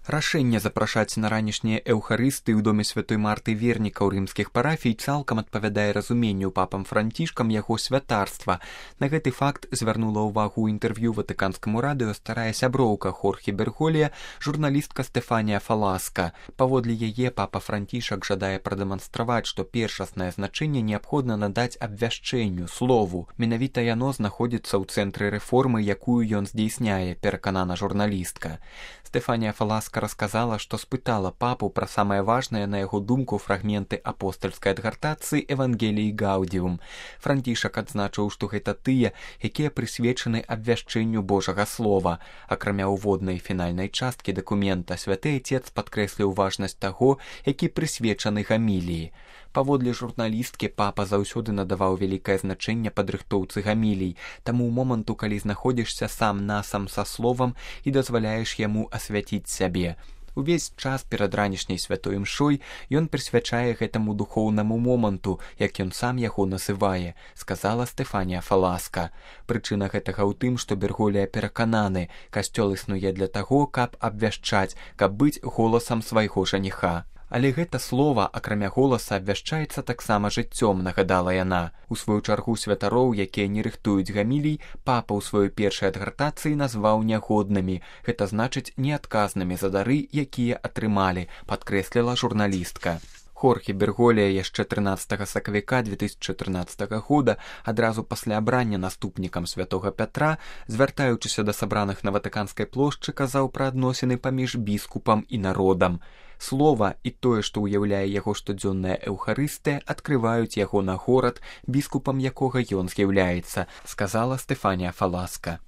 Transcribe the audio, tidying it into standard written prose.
Рашэнне запрашаць на ранішнія эўхарысты ў доме святой Марты вернікаў рымскіх парафій цалкам адпавядае разуменню папам Францішкам яго святарства. На гэты факт звярнула ўвагу ў інтэрв'ю ватыканскаму радыё старая сяброўка Хорхе Берголія, журналістка Стэфанія Фаласка. Паводле яе папа Францішак жадае прадэманстраваць, што першаснае значэнне неабходна надаць абвяшчэнню, слову. Менавіта яно знаходзіцца ў цэнтры рэформы, якую ён здзейсняе, пераканана журналістка. Стэфанія Фаласка расказала, што спытала папу пра самае важнае, на яго думку, фрагменты апостальскай адгартацыі Евангеліі Гаудзіум. Францішак адзначыў, што гэта тыя, якія прысвечаны абвяшчэнню Божага слова. Акрамя ўводнай фінальнай часткі дакумента, святы Отец падкрэсліў важнасць таго, які прысвечаны гаміліі. Паводле журналісткі папа заўсёды надаваў вялікае значэнне падрыхтоўцы гамілій, таму ў моманту, калі знаходзішся сам-насам са словам і дазваляеш яму асвяціць сябе. Увесь час перад ранішняй святой імшой ён прысвячае гэтаму духоўнаму моманту, як ён сам яго называе, сказала Стэфанія Фаласка. Прычына гэтага ў тым, што Берголія перакананы, касцёл існуе для таго, каб абвяшчаць, каб быць голасам свайго жаніха. Але гэта слова, акрамя голаса, абвяшчаецца таксама жыццём, нагадала яна. У сваю чаргу святароў, якія не рыхтуюць гамілій, папа ў сваёй першай адгартацыі назваў нягоднымі. Гэта значыць неадказнымі за дары, якія атрымалі, падкрэсліла журналістка. Хорхе Берголія яшчэ 13 сакавіка 2014 года, адразу пасля абрання наступнікам святога Пятра, звяртаючыся да сабраных на Ватыканскай плошчы, казаў пра адносіны паміж біскупам і народам. Слова і тое, што ўяўляе яго штодзённая эўхарыстыя, адкрываюць яго на горад, біскупам якога ён з'яўляецца, сказала Стэфанія Фаласка.